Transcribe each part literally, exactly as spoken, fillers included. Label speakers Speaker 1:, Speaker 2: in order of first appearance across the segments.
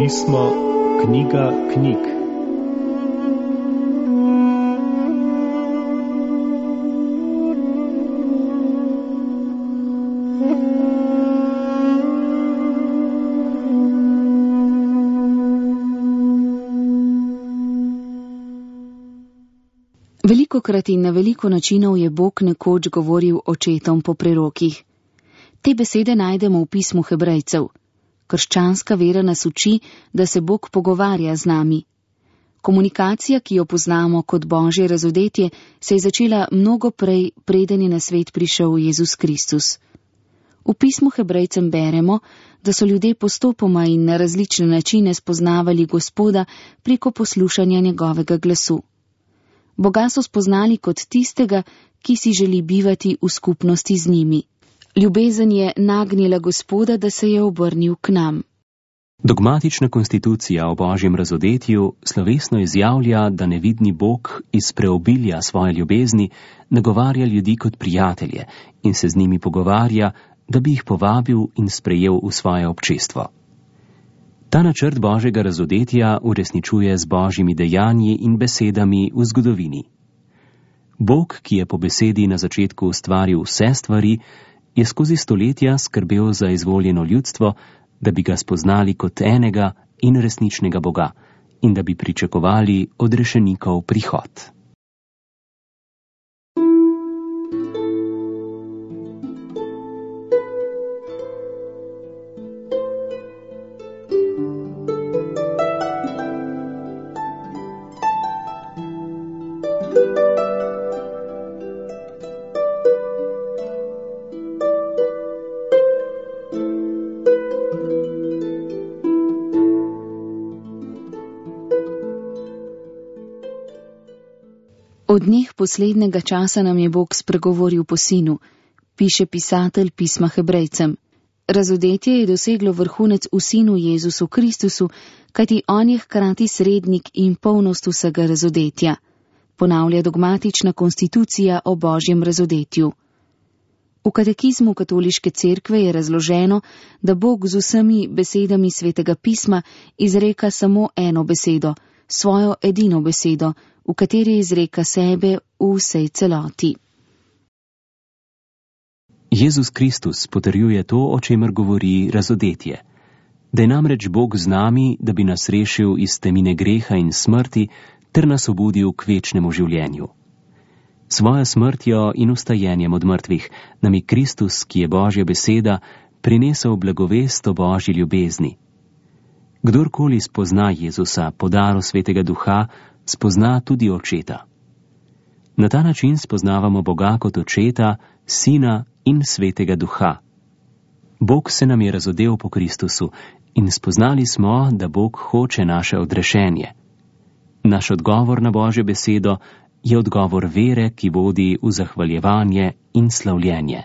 Speaker 1: Pismo, knjiga knjig.
Speaker 2: Velikokrat in na veliko načinov je Bog nekoč govoril očetom po prerokih. Te besede najdemo v pismu Hebrejcev. Krščanska vera nas uči, da se Bog pogovarja z nami. Komunikacija, ki jo poznamo kot Božje razodetje, se je začela mnogo prej, preden je na svet prišel Jezus Kristus. V pismu Hebrejcem beremo, da so ljudje postopoma in na različne načine spoznavali Gospoda preko poslušanja njegovega glasu. Boga so spoznali kot tistega, ki si želi bivati v skupnosti z njimi. Ljubezen je nagnila Gospoda, da se je obrnil k nam.
Speaker 3: Dogmatična konstitucija o Božjem razodetju slovesno izjavlja, da nevidni Bog iz preobilja svoje ljubezni nagovarja ljudi kot prijatelje in se z njimi pogovarja, da bi jih povabil in sprejel v svoje občestvo. Ta načrt Božjega razodetja uresničuje z Božjimi dejanji in besedami v zgodovini. Bog, ki je po besedi na začetku ustvaril vse stvari, je skozi stoletja skrbel za izvoljeno ljudstvo, da bi ga spoznali kot enega in resničnega Boga in da bi pričakovali odrešenikov prihod.
Speaker 2: Od dneh poslednjega časa nam je Bog spregovoril po sinu, piše pisatelj pisma Hebrejcem. Razodetje je doseglo vrhunec v sinu Jezusu Kristusu, kajti on je hkrati srednik in polnost vsega razodetja, ponavlja dogmatična konstitucija o Božjem razodetju. V katekizmu katoliške cerkve je razloženo, da Bog z vsemi besedami svetega pisma izreka samo eno besedo, svojo edino besedo, v kateri izreka sebe v vsej celoti.
Speaker 3: Jezus Kristus potrjuje to, o čemer govori razodetje. Da je namreč Bog z nami, da bi nas rešil iz temine greha in smrti, ter nas obudil k večnemu življenju. Svojo smrtjo in vstajenjem od mrtvih nam je Kristus, ki je Božja beseda, prinesel blagovest o Božji ljubezni. Kdorkoli spozna Jezusa po daru Svetega Duha, spozna tudi Očeta. Na ta način spoznavamo Boga kot Očeta, Sina in Svetega Duha. Bog se nam je razodel po Kristusu in spoznali smo, da Bog hoče naše odrešenje. Naš odgovor na Božjo besedo je odgovor vere, ki vodi v zahvaljevanje in slavljenje.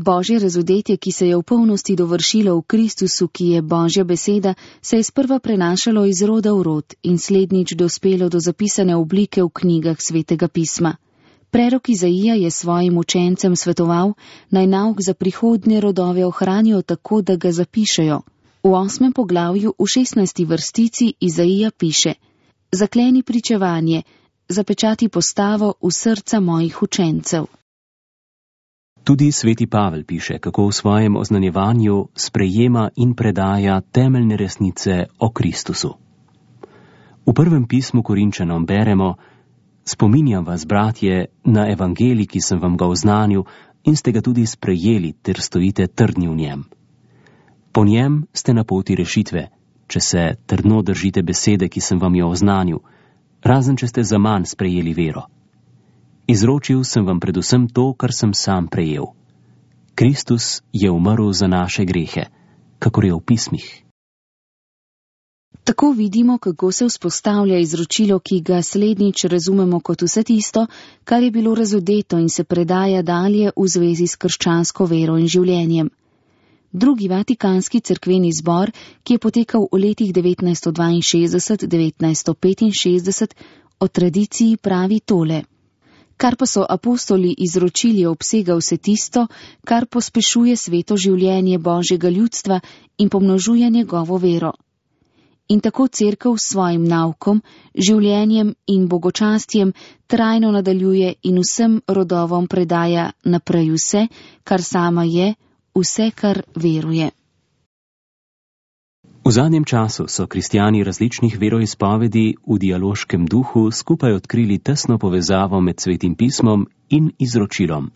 Speaker 2: Božje razodetje, ki se je v polnosti dovršilo v Kristusu, ki je Božja beseda, se je sprva prenašalo iz roda v rod in slednjič dospelo do zapisane oblike v knjigah Svetega pisma. Prerok Izaija je svojim učencem svetoval, naj nauk za prihodnje rodove ohranijo tako, da ga zapišejo. V osmem poglavju v šestnajsti vrstici Izaija piše: Zakleni pričevanje, zapečati postavo v srca mojih učencev.
Speaker 3: Tudi sveti Pavel piše, kako v svojem oznanjevanju sprejema in predaja temeljne resnice o Kristusu. V prvem pismu Korinčanom beremo: Spominjam vas, bratje, na evangelij, ki sem vam ga oznanil in ste ga tudi sprejeli, ter stojite trdni v njem. Po njem ste na poti rešitve, če se trdno držite besede, ki sem vam jo oznanil, razen če ste zaman sprejeli vero. Izročil sem vam predvsem to, kar sem sam prejel. Kristus je umrl za naše grehe, kakor je v pismih.
Speaker 2: Tako vidimo, kako se vzpostavlja izročilo, ki ga slednjič razumemo kot vse tisto, kar je bilo razodeto in se predaja dalje v zvezi s krščansko vero in življenjem. Drugi vatikanski cerkveni zbor, ki je potekal v letih devetnajststo dvainšestdeset do devetnajststo petinšestdeset, o tradiciji pravi tole. Kar pa so apostoli izročili, obsega vse tisto, kar pospešuje sveto življenje Božjega ljudstva in pomnožuje njegovo vero. In tako cerkev s svojim naukom, življenjem in bogočastjem trajno nadaljuje in vsem rodovom predaja naprej vse, kar sama je, vse, kar veruje.
Speaker 3: V zadnjem času so kristjani različnih veroizpovedi v dialoškem duhu skupaj odkrili tesno povezavo med Svetim pismom in izročilom.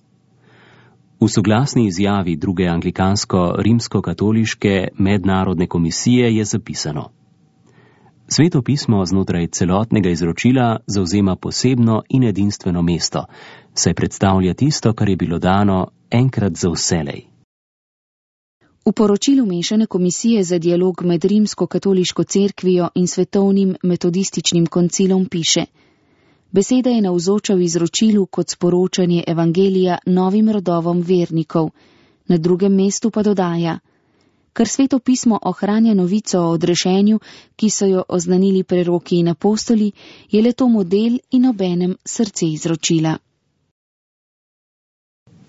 Speaker 3: V soglasni izjavi druge anglikansko-rimsko-katoliške mednarodne komisije je zapisano: Sveto pismo znotraj celotnega izročila zavzema posebno in edinstveno mesto, saj predstavlja tisto, kar je bilo dano enkrat za vselej.
Speaker 2: V poročilu Mešane komisije za dialog med rimsko-katoliško cerkvijo in svetovnim metodističnim koncilom piše: Beseda je navzoča v izročilu kot sporočanje evangelija novim rodovom vernikov, na drugem mestu pa dodaja: Ker Sveto pismo ohranja novico o odrešenju, ki so jo oznanili preroki in apostoli, je le to model in obenem srce izročila.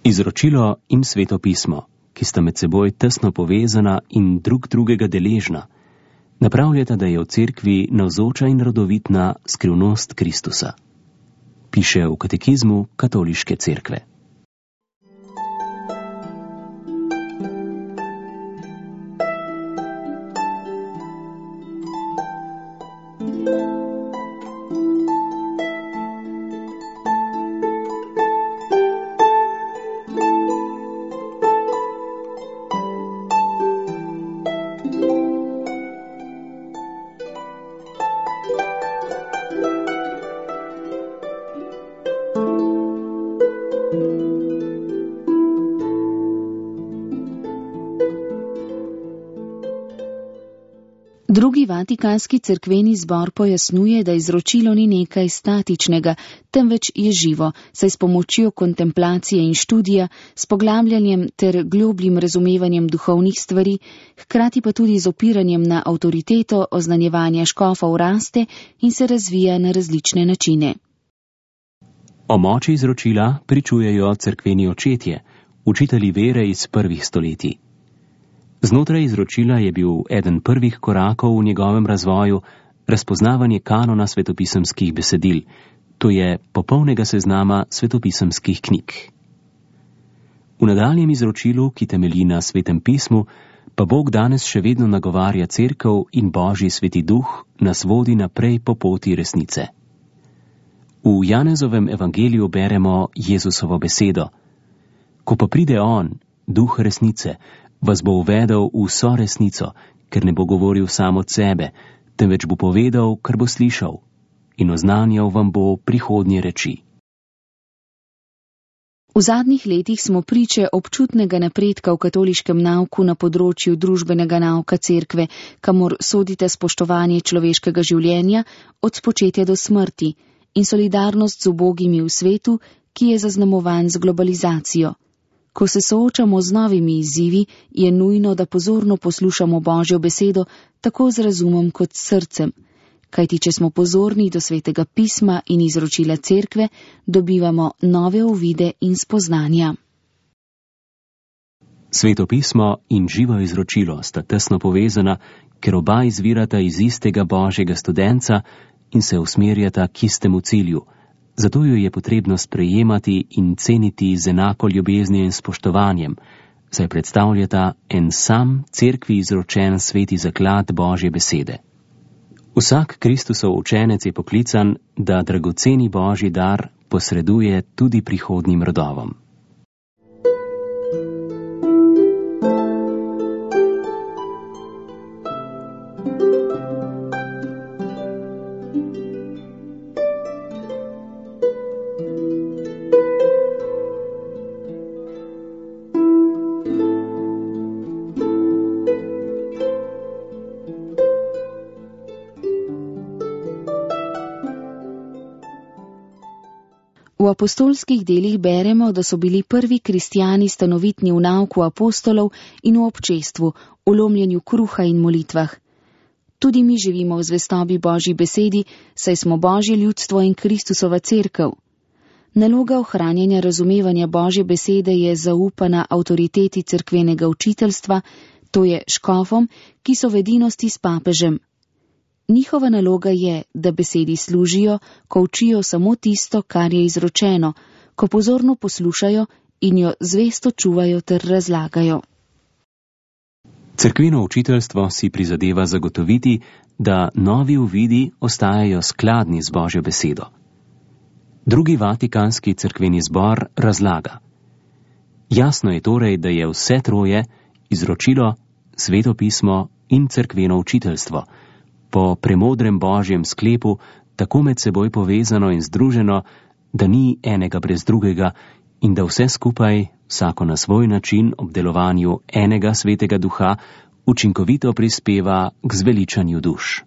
Speaker 3: Izročilo in Sveto pismo, ki sta med seboj tesno povezana in drug drugega deležna, napravljata, da je v cerkvi navzoča in rodovitna skrivnost Kristusa. Piše v katekizmu katoliške cerkve.
Speaker 2: Drugi vatikanski cerkveni zbor pojasnjuje, da izročilo ni nekaj statičnega, temveč je živo, saj s pomočjo kontemplacije in študija, s poglabljanjem ter globljim razumevanjem duhovnih stvari, hkrati pa tudi z opiranjem na avtoriteto oznanjevanja škofov raste in se razvija na različne načine.
Speaker 3: O moči izročila pričujejo cerkveni očetje, učitelji vere iz prvih stoletij. Znotraj izročila je bil eden prvih korakov v njegovem razvoju razpoznavanje kanona svetopisemskih besedil, to je popolnega seznama svetopisemskih knjig. V nadaljem izročilu, ki temelji na Svetem pismu, pa Bog danes še vedno nagovarja cerkev in Božji sveti duh nas vodi naprej po poti resnice. V Janezovem evangeliju beremo Jezusovo besedo: Ko pa pride On, duh resnice, vas bo uvedel v vso resnico, ker ne bo govoril sam od sebe, temveč bo povedal, kar bo slišal, in oznanjal vam bo prihodnje reči.
Speaker 2: V zadnjih letih smo priče občutnega napredka v katoliškem nauku na področju družbenega nauka cerkve, kamor sodite spoštovanje človeškega življenja od spočetja do smrti in solidarnost z ubogimi v svetu, ki je zaznamovan z globalizacijo. Ko se soočamo z novimi izzivi, je nujno, da pozorno poslušamo Božjo besedo tako z razumom kot s srcem, kajti če smo pozorni do Svetega pisma in izročila cerkve, dobivamo nove uvide in spoznanja.
Speaker 3: Sveto pismo in živo izročilo sta tesno povezana, ker oba izvirata iz istega Božjega studenca in se usmerjata k istemu cilju. Zato jo je potrebno sprejemati in ceniti z enako ljubeznijo in spoštovanjem, saj predstavljata en sam cerkvi izročen sveti zaklad Božje besede. Vsak Kristusov učenec je poklican, da dragoceni Božji dar posreduje tudi prihodnjim rodovom.
Speaker 2: V apostolskih delih beremo, da so bili prvi kristijani stanovitni v nauku apostolov in v občestvu, v lomljenju kruha in molitvah. Tudi mi živimo v zvestobi Božji besedi, saj smo Božje ljudstvo in Kristusova cerkev. Naloga ohranjanja razumevanja Božje besede je zaupana avtoriteti cerkvenega učiteljstva, to je škofom, ki so v edinosti s papežem. Njihova naloga je, da besedi služijo, ko učijo samo tisto, kar je izročeno, ko pozorno poslušajo in jo zvesto čuvajo ter razlagajo.
Speaker 3: Cerkveno učiteljstvo si prizadeva zagotoviti, da novi uvidi ostajajo skladni z Božjo besedo. Drugi vatikanski cerkveni zbor razlaga. Jasno je torej, da je vse troje, izročilo, sveto pismo in cerkveno učiteljstvo, po premodrem Božjem sklepu tako med seboj povezano in združeno, da ni enega brez drugega in da vse skupaj, vsako na svoj način ob delovanju enega svetega duha, učinkovito prispeva k zveličanju duš.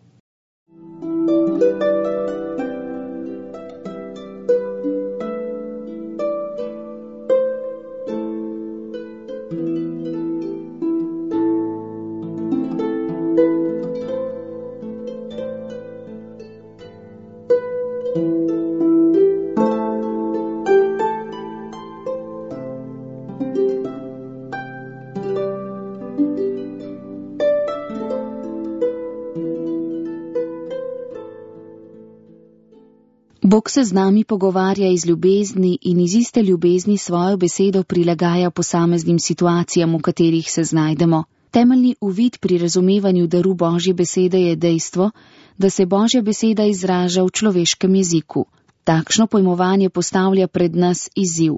Speaker 2: Bog se z nami pogovarja iz ljubezni in iz iste ljubezni svojo besedo prilagaja posameznim situacijam, v katerih se znajdemo. Temeljni uvid pri razumevanju daru Božje besede je dejstvo, da se Božja beseda izraža v človeškem jeziku. Takšno pojmovanje postavlja pred nas izziv.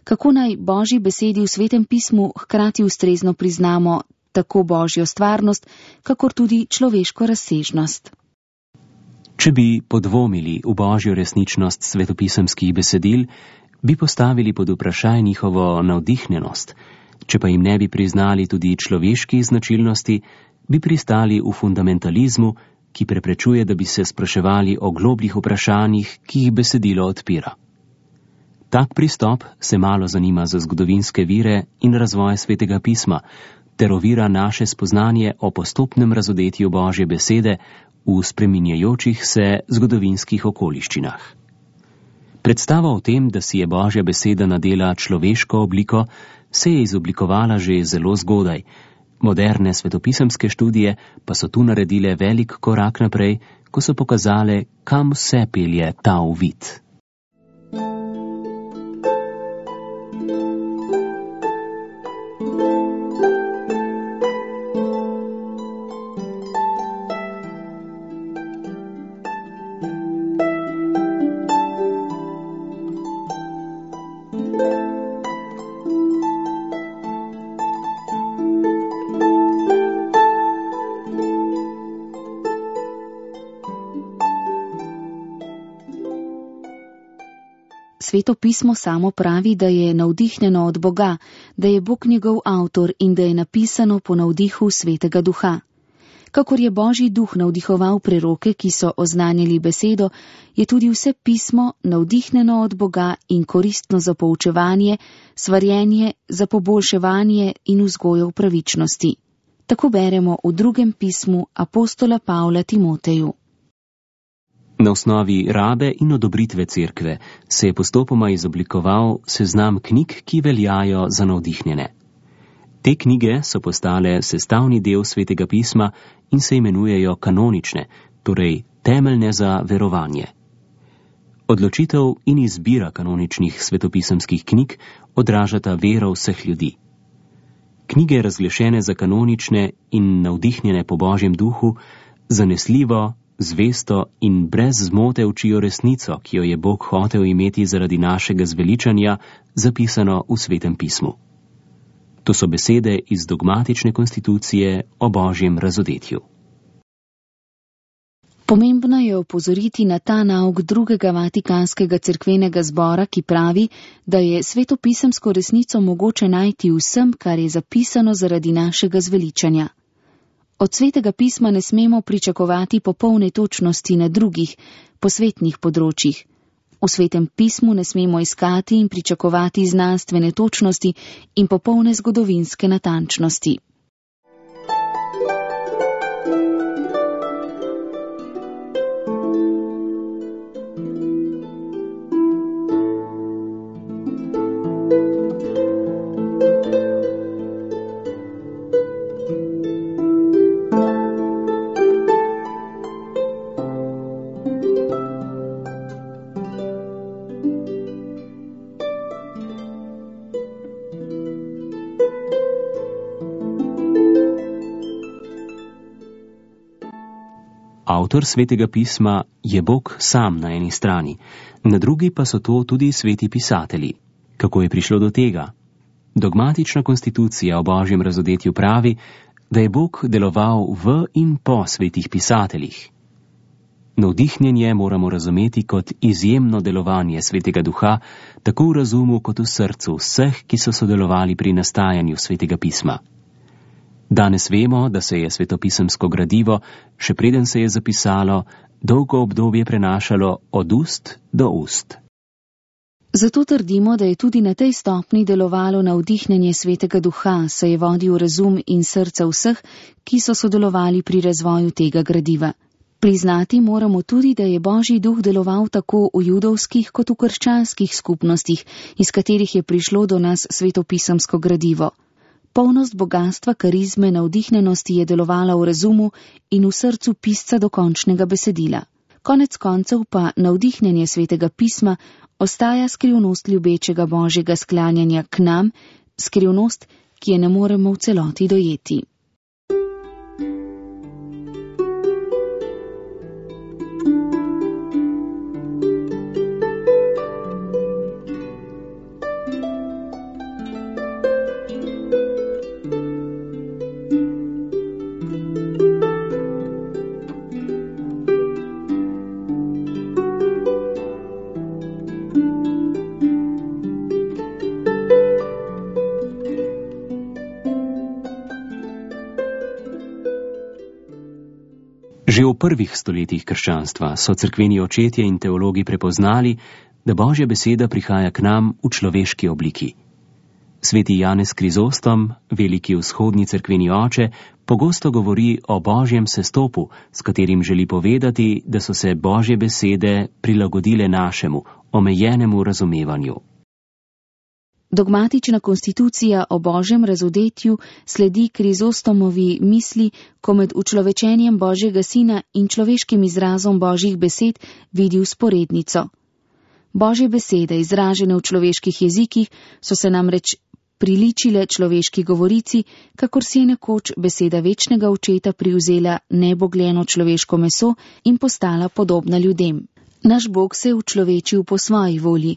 Speaker 2: Kako naj Božji besedi v Svetem pismu hkrati ustrezno priznamo tako Božjo stvarnost, kakor tudi človeško razsežnost?
Speaker 3: Če bi podvomili v Božjo resničnost svetopisemskih besedil, bi postavili pod vprašaj njihovo navdihnjenost. Če pa jim ne bi priznali tudi človeških značilnosti, bi pristali v fundamentalizmu, ki preprečuje, da bi se spraševali o globljih vprašanjih, ki jih besedilo odpira. Tak pristop se malo zanima za zgodovinske vire in razvoj Svetega pisma, ter ovira naše spoznanje o postopnem razodetju Božje besede v spreminjajočih se zgodovinskih okoliščinah. Predstava o tem, da si je Božja beseda nadela človeško obliko, se je izoblikovala že zelo zgodaj. Moderne svetopisemske študije pa so tu naredile velik korak naprej, ko so pokazale, kam vse pelje ta uvid.
Speaker 2: Sveto pismo samo pravi, da je navdihnjeno od Boga, da je Bog njegov avtor in da je napisano po navdihu Svetega Duha. Kakor je Božji duh navdihoval preroke, ki so oznanjali besedo, je tudi vse pismo navdihnjeno od Boga in koristno za poučevanje, svarjenje, za poboljševanje in vzgojo v pravičnosti. Tako beremo v drugem pismu apostola Pavla Timoteju.
Speaker 3: Na osnovi rabe in odobritve cerkve se je postopoma izoblikoval seznam knjig, ki veljajo za navdihnjene. Te knjige so postale sestavni del Svetega pisma in se imenujejo kanonične, torej temeljne za verovanje. Odločitev in izbira kanoničnih svetopisemskih knjig odražata vero vseh ljudi. Knjige, razglašene za kanonične in navdihnjene po Božjem duhu, zanesljivo, zvesto in brez zmote učijo resnico, ki jo je Bog hotel imeti zaradi našega zveličanja, zapisano v Svetem pismu. To so besede iz dogmatične konstitucije o Božjem razodetju.
Speaker 2: Pomembno je opozoriti na ta nauk drugega vatikanskega cerkvenega zbora, ki pravi, da je svetopisemsko resnico mogoče najti vsem, kar je zapisano zaradi našega zveličanja. Od Svetega pisma ne smemo pričakovati popolne točnosti na drugih, posvetnih področjih. V Svetem pismu ne smemo iskati in pričakovati znanstvene točnosti in popolne zgodovinske natančnosti.
Speaker 3: Avtor Svetega pisma je Bog sam na eni strani, na drugi pa so to tudi sveti pisatelji. Kako je prišlo do tega? Dogmatična konstitucija o Božjem razodetju pravi, da je Bog deloval v in po svetih pisateljih. Navdihnjenje moramo razumeti kot izjemno delovanje Svetega Duha, tako v razumu kot v srcu vseh, ki so sodelovali pri nastajanju Svetega pisma. Danes vemo, da se je svetopisemsko gradivo, še preden se je zapisalo, dolgo obdobje prenašalo od ust do ust.
Speaker 2: Zato trdimo, da je tudi na tej stopni delovalo navdihnjenje Svetega Duha, saj je vodil razum in srca vseh, ki so sodelovali pri razvoju tega gradiva. Priznati moramo tudi, da je Božji duh deloval tako v judovskih kot v krščanskih skupnostih, iz katerih je prišlo do nas svetopisemsko gradivo. Polnost bogatstva, karizme, navdihnjenosti je delovala v razumu in v srcu pisca do končnega besedila. Konec koncev pa navdihnjenje Svetega pisma ostaja skrivnost ljubečega Božjega sklanjanja k nam, skrivnost, ki je ne moremo v celoti dojeti.
Speaker 3: Že v prvih stoletjih krščanstva so cerkveni očetje in teologi prepoznali, da Božja beseda prihaja k nam v človeški obliki. Sveti Janez Krizostom, veliki vzhodni cerkveni oče, pogosto govori o Božjem sestopu, s katerim želi povedati, da so se Božje besede prilagodile našemu, omejenemu razumevanju.
Speaker 2: Dogmatična konstitucija o Božjem razodetju sledi Krizostomovi misli, ko med učlovečenjem Božjega sina in človeškim izrazom Božjih besed vidi vzporednico. Božje besede, izražene v človeških jezikih, so se namreč priličile človeški govorici, kakor si je nekoč beseda večnega očeta privzela nebogljeno človeško meso in postala podobna ljudem. Naš Bog se je učlovečil po svoji volji.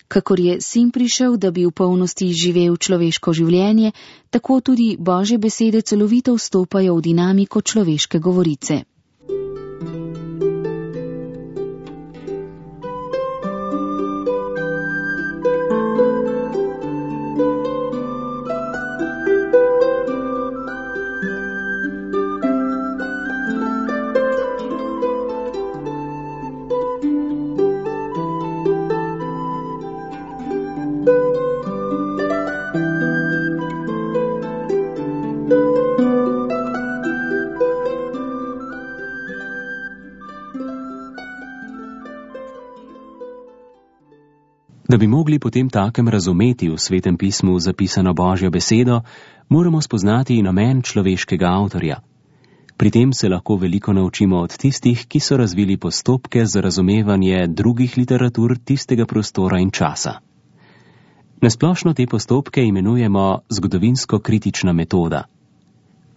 Speaker 2: Kakor je sin prišel, da bi v polnosti živel človeško življenje, tako tudi Božje besede celovito vstopajo v dinamiko človeške govorice.
Speaker 3: Da bi mogli potem takem razumeti v Svetem pismu zapisano Božjo besedo, moramo spoznati namen človeškega avtorja. Pri tem se lahko veliko naučimo od tistih, ki so razvili postopke za razumevanje drugih literatur tistega prostora in časa. Nasplošno te postopke imenujemo zgodovinsko-kritična metoda.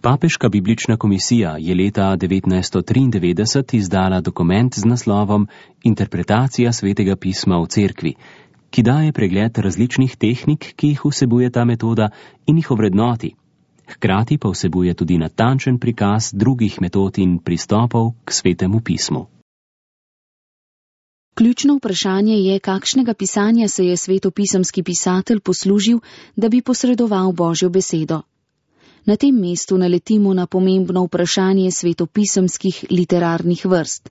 Speaker 3: Papeška biblična komisija je leta devetnajststo triindevetdeset izdala dokument z naslovom Interpretacija Svetega pisma v cerkvi, ki daje pregled različnih tehnik, ki jih vsebuje ta metoda in jih ovrednoti. Hkrati pa vsebuje tudi natančen prikaz drugih metod in pristopov k Svetemu pismu.
Speaker 2: Ključno vprašanje je, kakšnega pisanja se je svetopisemski pisatelj poslužil, da bi posredoval Božjo besedo. Na tem mestu naletimo na pomembno vprašanje svetopisemskih literarnih vrst.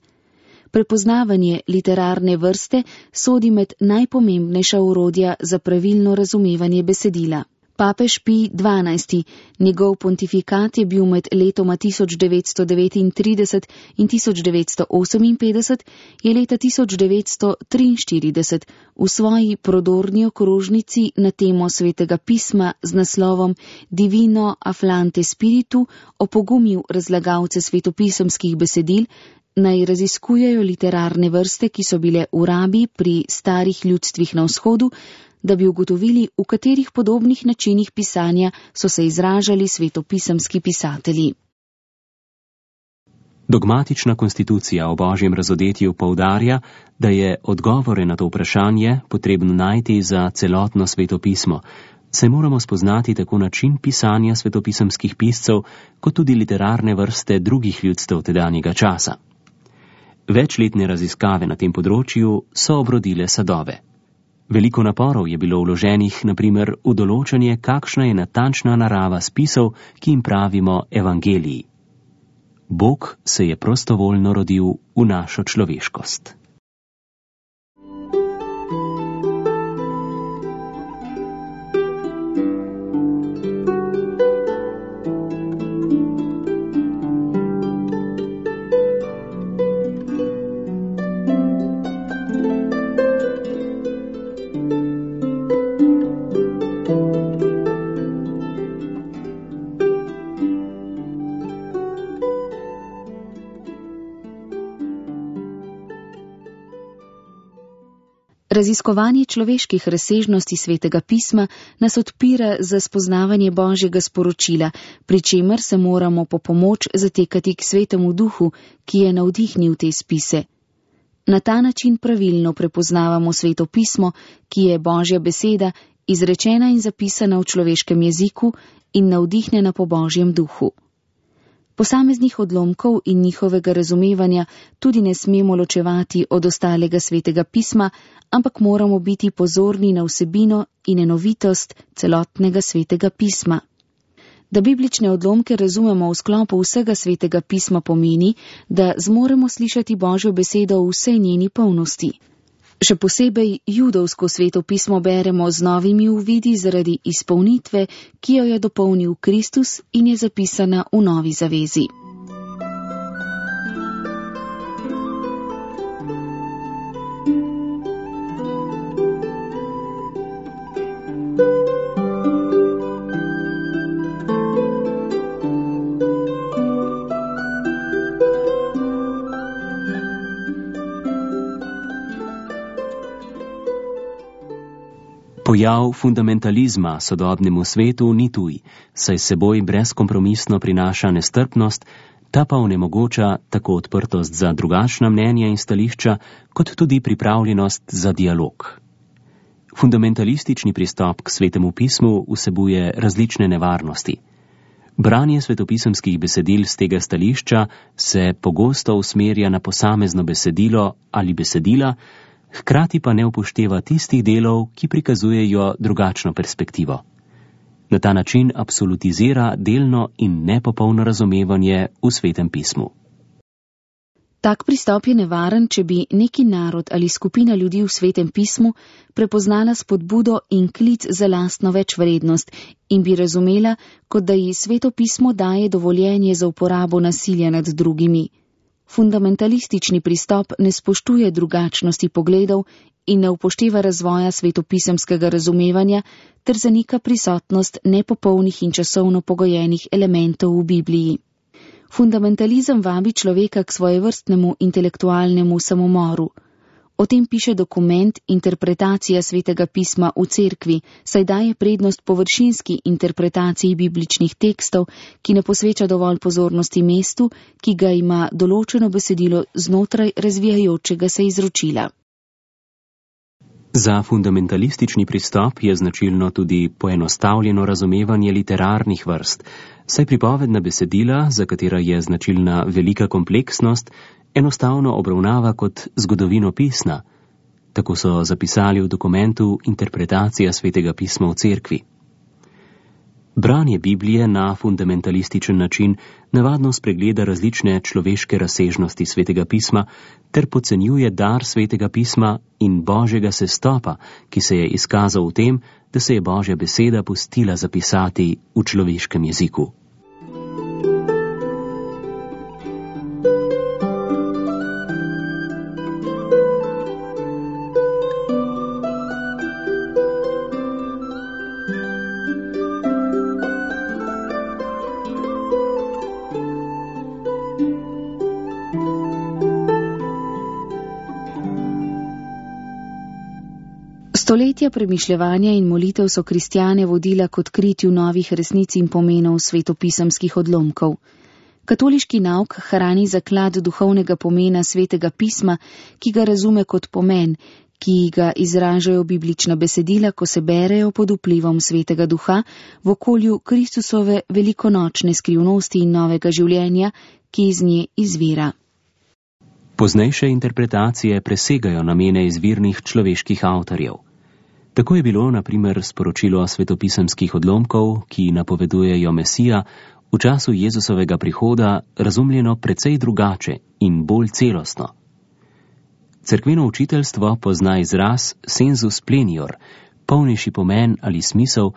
Speaker 2: Prepoznavanje literarne vrste sodi med najpomembnejša orodja za pravilno razumevanje besedila. Papež Pij dvanajsti, njegov pontifikat je bil med letoma tisoč devetsto devetintrideset in tisoč devetsto oseminpetdeset, je leta tisoč devetsto triinštirideset v svoji prodorni okrožnici na temo Svetega pisma z naslovom Divino Afflante Spiritu opogumil razlagalce svetopisemskih besedil, naj raziskujejo literarne vrste, ki so bile v rabi pri starih ljudstvih na vzhodu, da bi ugotovili, v katerih podobnih načinih pisanja so se izražali svetopisemski pisatelji.
Speaker 3: Dogmatična konstitucija o božjem razodetju poudarja, da je odgovore na to vprašanje potrebno najti za celotno svetopismo, saj moramo spoznati tako način pisanja svetopisemskih piscev, kot tudi literarne vrste drugih ljudstev tedanjega časa. Večletne raziskave na tem področju so obrodile sadove. Veliko naporov je bilo vloženih, na primer, v določanje, kakšna je natančna narava spisov, ki jim pravimo evangeliji. Bog se je prostovoljno rodil v našo človeškost.
Speaker 2: Raziskovanje človeških razsežnosti Svetega pisma nas odpira za spoznavanje Božjega sporočila, pri čemer se moramo po pomoč zatekati k Svetemu Duhu, ki je navdihnil te spise. Na ta način pravilno prepoznavamo Sveto pismo, ki je Božja beseda, izrečena in zapisana v človeškem jeziku in navdihnjena po Božjem duhu. Posameznih odlomkov in njihovega razumevanja tudi ne smemo ločevati od ostalega Svetega pisma, ampak moramo biti pozorni na vsebino in enovitost celotnega Svetega pisma. Da biblične odlomke razumemo v sklopu vsega Svetega pisma pomeni, da zmoremo slišati Božjo besedo v vsej njeni polnosti. Še posebej judovsko Sveto pismo beremo z novimi uvidi zaradi izpolnitve, ki jo je dopolnil Kristus in je zapisana v Novi zavezi.
Speaker 3: Pojav fundamentalizma sodobnemu svetu ni tuj, saj seboj brezkompromisno prinaša nestrpnost, ta pa onemogoča tako odprtost za drugačna mnenja in stališča, kot tudi pripravljenost za dialog. Fundamentalistični pristop k Svetemu pismu vsebuje različne nevarnosti. Branje svetopisemskih besedil z tega stališča se pogosto usmerja na posamezno besedilo ali besedila, hkrati pa ne upošteva tistih delov, ki prikazujejo drugačno perspektivo. Na ta način absolutizira delno in nepopolno razumevanje v Svetem pismu.
Speaker 2: Tak pristop je nevaren, če bi neki narod ali skupina ljudi v Svetem pismu prepoznala spodbudo in klic za lastno večvrednost in bi razumela, kot da ji Sveto pismo daje dovoljenje za uporabo nasilja nad drugimi. Fundamentalistični pristop ne spoštuje drugačnosti pogledov in ne upošteva razvoja svetopisemskega razumevanja ter zanika prisotnost nepopolnih in časovno pogojenih elementov v Bibliji. Fundamentalizem vabi človeka k svojevrstnemu intelektualnemu samomoru. O tem piše dokument Interpretacija Svetega pisma v cerkvi, saj daje prednost površinski interpretaciji bibličnih tekstov, ki ne posveča dovolj pozornosti mestu, ki ga ima določeno besedilo znotraj razvijajočega se izročila.
Speaker 3: Za fundamentalistični pristop je značilno tudi poenostavljeno razumevanje literarnih vrst, saj pripovedna besedila, za katera je značilna velika kompleksnost, enostavno obravnava kot zgodovinopisna. Tako so zapisali v dokumentu Interpretacija Svetega pisma v cerkvi. Branje Biblije na fundamentalističen način navadno spregleda različne človeške razsežnosti Svetega pisma ter podcenjuje dar Svetega pisma in Božjega sestopa, ki se je izkazal v tem, da se je Božja beseda pustila zapisati v človeškem jeziku.
Speaker 2: Stoletja premišljevanja in molitev so kristjane vodila k odkritju novih resnic in pomenov svetopisemskih odlomkov. Katoliški nauk hrani zaklad duhovnega pomena Svetega pisma, ki ga razume kot pomen, ki ga izražajo biblična besedila, ko se berejo pod vplivom Svetega duha v okolju Kristusove velikonočne skrivnosti in novega življenja, ki iz nje izvira.
Speaker 3: Poznejše interpretacije presegajo namene izvirnih človeških avtorjev. Tako je bilo, na primer, sporočilo svetopisemskih odlomkov, ki napovedujejo Mesija, v času Jezusovega prihoda razumljeno precej drugače in bolj celostno. Cerkveno učiteljstvo pozna izraz sensus plenior, polnejši pomen ali smisel,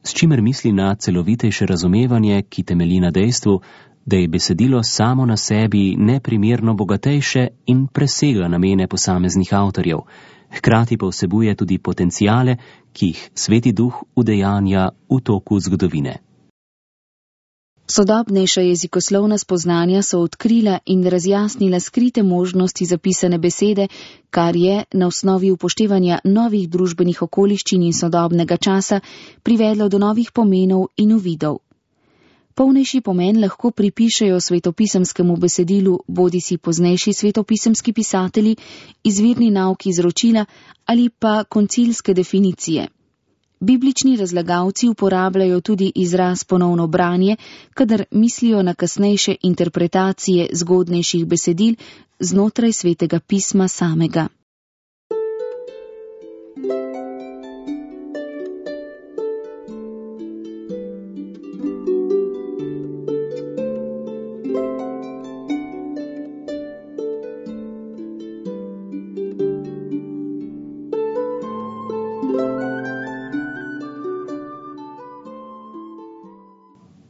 Speaker 3: s čimer misli na celovitejše razumevanje, ki temelji na dejstvu, da je besedilo samo na sebi neprimerno bogatejše in presega namene posameznih avtorjev, hkrati pa vsebuje tudi potencijale, ki jih Sveti duh udejanja v toku zgodovine.
Speaker 2: Sodobnejša jezikoslovna spoznanja so odkrila in razjasnila skrite možnosti zapisane besede, kar je, na osnovi upoštevanja novih družbenih okoliščin in sodobnega časa, privedlo do novih pomenov in uvidov. Polnejši pomen lahko pripišejo svetopisemskemu besedilu bodisi poznejši svetopisemski pisatelji, izvirni nauki izročila ali pa koncilske definicije. Biblični razlagalci uporabljajo tudi izraz ponovno branje, kadar mislijo na kasnejše interpretacije zgodnejših besedil znotraj Svetega pisma samega.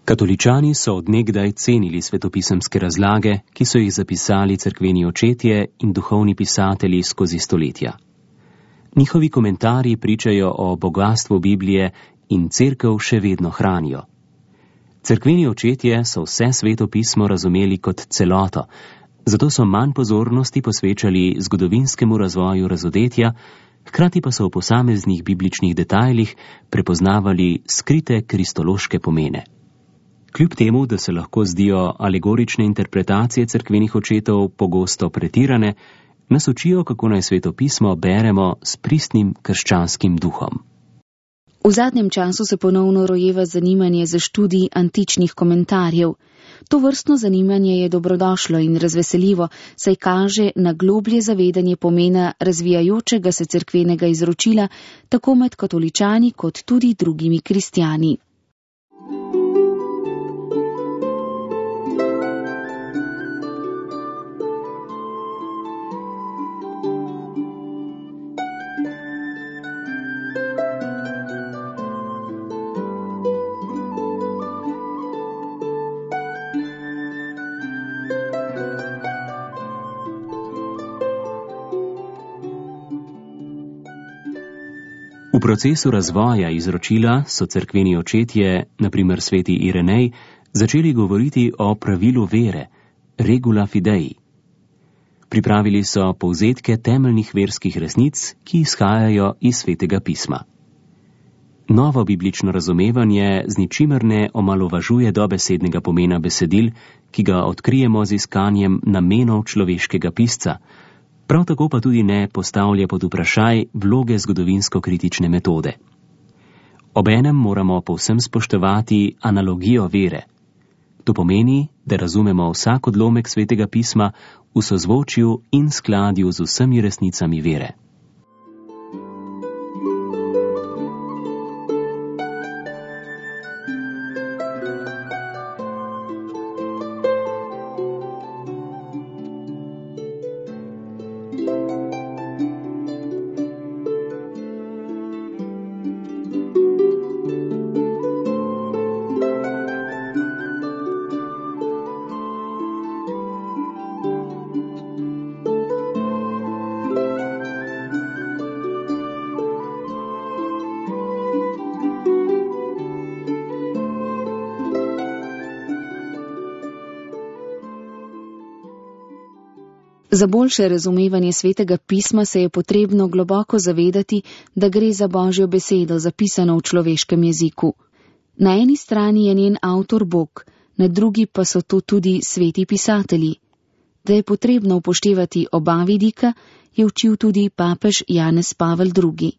Speaker 3: Katoličani so od nekdaj cenili svetopisemske razlage, ki so jih zapisali cerkveni očetje in duhovni pisatelji skozi stoletja. Njihovi komentarji pričajo o bogastvu Biblije in cerkev še vedno hranijo. Cerkveni očetje so vse Sveto pismo razumeli kot celoto, zato so manj pozornosti posvečali zgodovinskemu razvoju razodetja, hkrati pa so v posameznih bibličnih detajlih prepoznavali skrite kristološke pomene. Kljub temu, da se lahko zdijo alegorične interpretacije cerkvenih očetov pogosto pretirane, nas učijo, kako naj Sveto pismo beremo s pristnim krščanskim duhom.
Speaker 2: V zadnjem času se ponovno rojeva zanimanje za študij antičnih komentarjev. To vrstno zanimanje je dobrodošlo in razveseljivo, saj kaže na globlje zavedanje pomena razvijajočega se cerkvenega izročila tako med katoličani kot tudi drugimi kristjani.
Speaker 3: V procesu razvoja izročila so cerkveni očetje, na primer sveti Irenej, začeli govoriti o pravilu vere, regula fidei. Pripravili so povzetke temeljnih verskih resnic, ki izhajajo iz Svetega pisma. Novo biblično razumevanje z ničimer ne omalovažuje dobesednega pomena besedil, ki ga odkrijemo z iskanjem namenov človeškega pisca, prav tako pa tudi ne postavlja pod vprašaj vloge zgodovinsko-kritične metode. Obenem moramo povsem spoštovati analogijo vere. To pomeni, da razumemo vsak odlomek Svetega pisma v sozvočju in skladju z vsemi resnicami vere.
Speaker 2: Za boljše razumevanje Svetega pisma se je potrebno globoko zavedati, da gre za Božjo besedo, zapisano v človeškem jeziku. Na eni strani je njen avtor Bog, na drugi pa so to tudi sveti pisatelji. Da je potrebno upoštevati oba vidika, je učil tudi papež Janez Pavel drugi.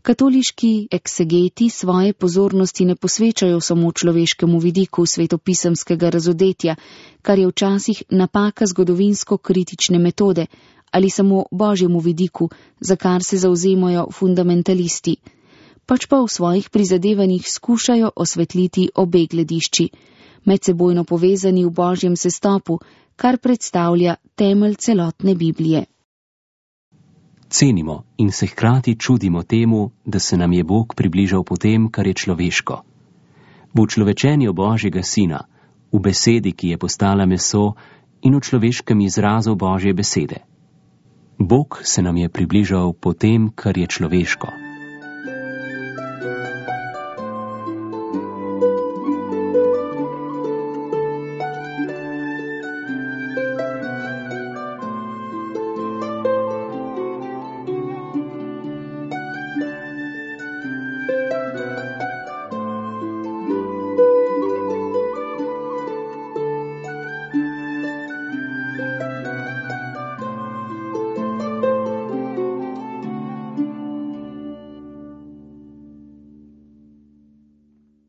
Speaker 2: Katoliški eksegeti svoje pozornosti ne posvečajo samo človeškemu vidiku svetopisemskega razodetja, kar je včasih napaka zgodovinsko-kritične metode, ali samo Božjemu vidiku, za kar se zauzemajo fundamentalisti, pač pa v svojih prizadevanjih skušajo osvetliti obe gledišči, medsebojno povezani v Božjem sestopu, kar predstavlja temelj celotne Biblije.
Speaker 3: Cenimo in se hkrati čudimo temu, da se nam je Bog približal po tem, kar je človeško. V človečenju Božjega Sina, v besedi, ki je postala meso, in v človeškem izrazu Božje besede. Bog se nam je približal po tem, kar je človeško.